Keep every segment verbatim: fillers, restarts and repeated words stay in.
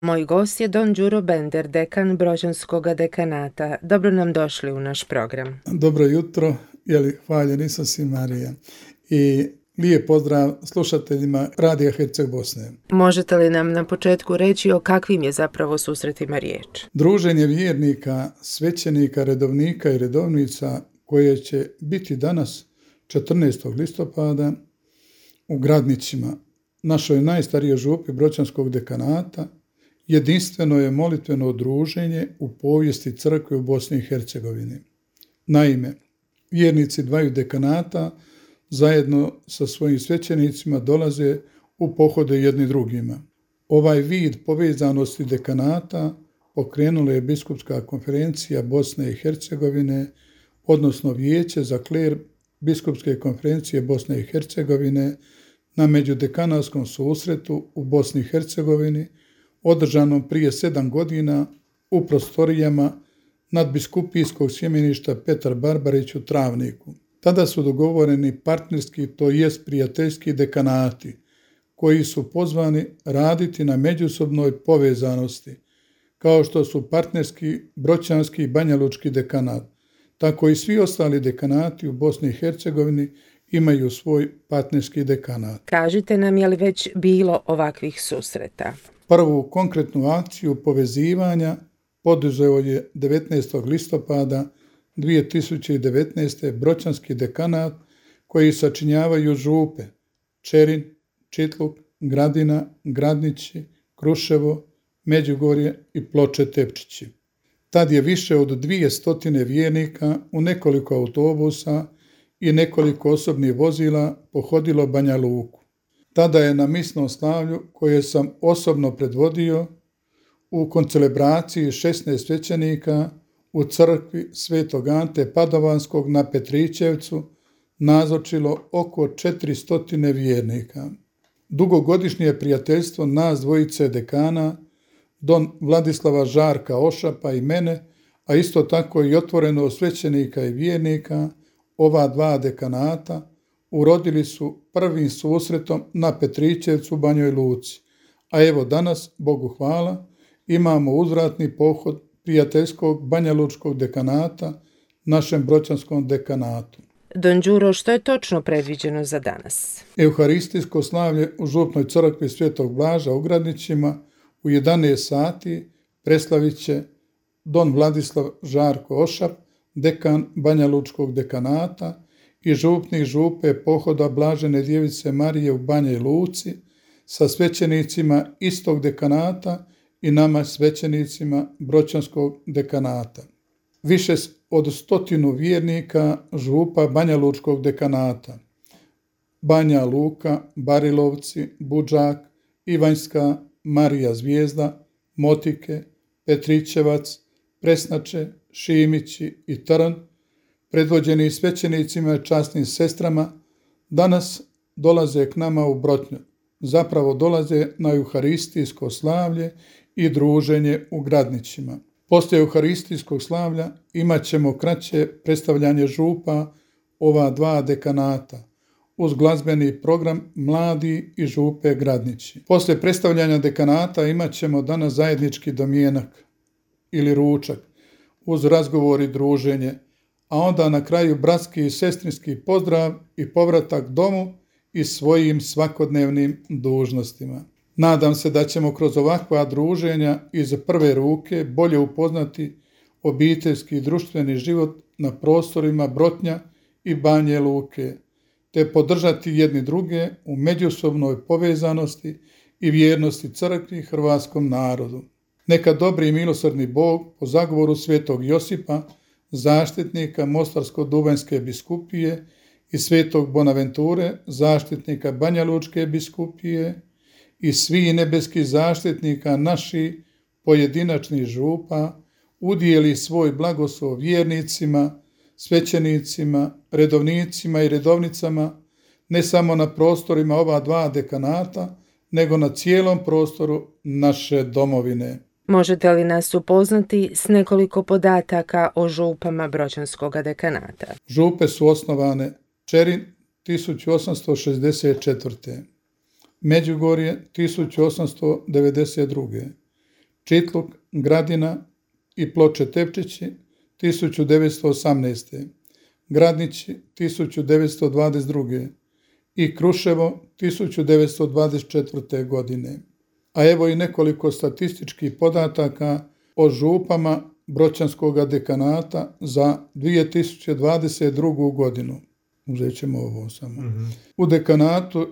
Moj gost je don Đuro Bender, dekan Brođanskog dekanata. Dobro nam došli u naš program. Dobro jutro, jeli, hvaljeni sam si Marija. I lijep pozdrav slušateljima Radija Herceg Bosne. Možete li nam na početku reći o kakvim je zapravo susretima riječ? Druženje vjernika, svećenika, redovnika i redovnica koje će biti danas četrnaestog listopada u Gradnićima, našoj najstarijoj župi Brođanskog dekanata, jedinstveno je molitveno druženje u povijesti crkve u Bosni i Hercegovini. Naime, vjernici dvaju dekanata zajedno sa svojim svećenicima dolaze u pohode jedni drugima. Ovaj vid povezanosti dekanata pokrenula je Biskupska konferencija Bosne i Hercegovine, odnosno Vijeće za kler Biskupske konferencije Bosne i Hercegovine na međudekanatskom susretu u Bosni i Hercegovini, održanom prije sedam godina u prostorijama nadbiskupijskog sjemeništa Petar Barbarić u Travniku. Tada su dogovoreni partnerski, to jest prijateljski dekanati, koji su pozvani raditi na međusobnoj povezanosti, kao što su partnerski Brođanski i Banjalučki dekanat. Tako i svi ostali dekanati u Bosni i Hercegovini imaju svoj partnerski dekanat. Kažite nam, je li već bilo ovakvih susreta? Prvu konkretnu akciju povezivanja poduzeo je devetnaestog listopada dvije tisuće devetnaeste. Brođanski dekanat koji sačinjavaju župe Čerin, Čitluk, Gradina, Gradnići, Kruševo, Međugorje i Ploče Tepčići. Tad je više od dvije stotine vjernika u nekoliko autobusa i nekoliko osobnih vozila pohodilo Banja Luku. Tada je na misnom slavlju, koje sam osobno predvodio, u koncelebraciji šesnaest svećenika u crkvi Svetog Ante Padovanskog na Petrićevcu nazočilo oko četiristo vjernika. Dugogodišnje prijateljstvo nas dvojice dekana, don Vladislava Žarka Ošapa i mene, a isto tako i otvoreno svećenika i vjernika, ova dva dekanata, urodili su prvim susretom na Petrićevcu u Banjoj Luci. A evo danas, Bogu hvala, imamo uzvratni pohod prijateljskog Banjalučkog dekanata našem Brođanskom dekanatu. Don Đuro, što je točno predviđeno za danas? Euharistijsko slavlje u župnoj crkvi Svetog Blaža u Gradnićima u jedanaest sati preslavit će don Vladislav Žarko Ošap, dekan Banjalučkog dekanata i župnik župe pohoda Blažene djevice Marije u Banjoj Luci sa svećenicima istog dekanata i nama svećenicima Brođanskog dekanata. Više od stotinu vjernika župa Banjalučkog dekanata, Banja Luka, Barilovci, Budžak, Ivanjska, Marija Zvijezda, Motike, Petrićevac, Presnače, Šimići i Trn, predvođeni svećenicima i časnim sestrama, danas dolaze k nama u Brotnju. Zapravo dolaze na euharistijsko slavlje i druženje u Gradnićima. Poslije euharistijskog slavlja imat ćemo kraće predstavljanje župa ova dva dekanata, uz glazbeni program Mladi i župe Gradnići. Poslije predstavljanja dekanata imat ćemo danas zajednički domjenak ili ručak, uz razgovor i druženje, a onda na kraju bratski i sestrinski pozdrav i povratak domu i svojim svakodnevnim dužnostima. Nadam se da ćemo kroz ovakva druženja iz prve ruke bolje upoznati obiteljski i društveni život na prostorima Brotnja i Banje Luke, te podržati jedni druge u međusobnoj povezanosti i vjernosti crkvi i hrvatskom narodu. Neka dobri i milosrdni Bog po zagovoru svetog Josipa, zaštitnika Mostarsko-dubanjske biskupije i svetog Bonaventure, zaštitnika Banjalučke biskupije i svih nebeskih zaštitnika naših pojedinačnih župa, udijeli svoj blagoslov vjernicima, svećenicima, redovnicima i redovnicama, ne samo na prostorima ova dva dekanata, nego na cijelom prostoru naše domovine. Možete li nas upoznati s nekoliko podataka o župama Brođanskog dekanata? Župe su osnovane Čerin tisuću osamsto šezdeset četvrte. Međugorje tisuću osamsto devedeset druge. Čitluk, Gradina i Ploče Tepčići tisuću devetsto osamnaeste. Gradnići tisuću devetsto dvadeset druge. i Kruševo tisuću devetsto dvadeset četvrte. godine. A evo i nekoliko statističkih podataka o župama Bročanskog dekanata za dvije tisuće dvadeset drugu. godinu. Uzet ćemo ovo samo. Mm-hmm. U dekanatu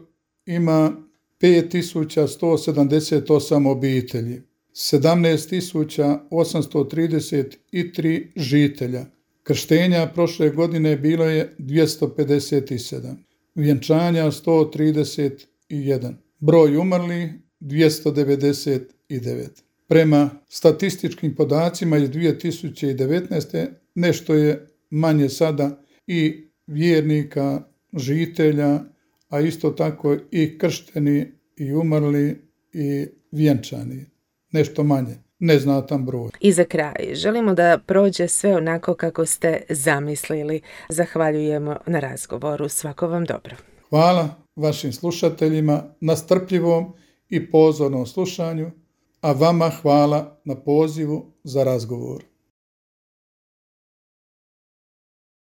ima pet tisuća sto sedamdeset osam obitelji, sedamnaest tisuća osamsto trideset tri žitelja. Krštenja prošle godine bilo je dvjesto pedeset sedam, vjenčanja sto trideset jedan, broj umrlih dvjesto devedeset devet. Prema statističkim podacima iz dvije tisuće devetnaeste. nešto je manje sada i vjernika, žitelja, a isto tako i kršteni, i umrli, i vjenčani. Nešto manje, neznatan broj. I za kraj, želimo da prođe sve onako kako ste zamislili. Zahvaljujemo na razgovoru. Svako vam dobro. Hvala vašim slušateljima na strpljivom i pozornom slušanju, a vama hvala na pozivu za razgovor.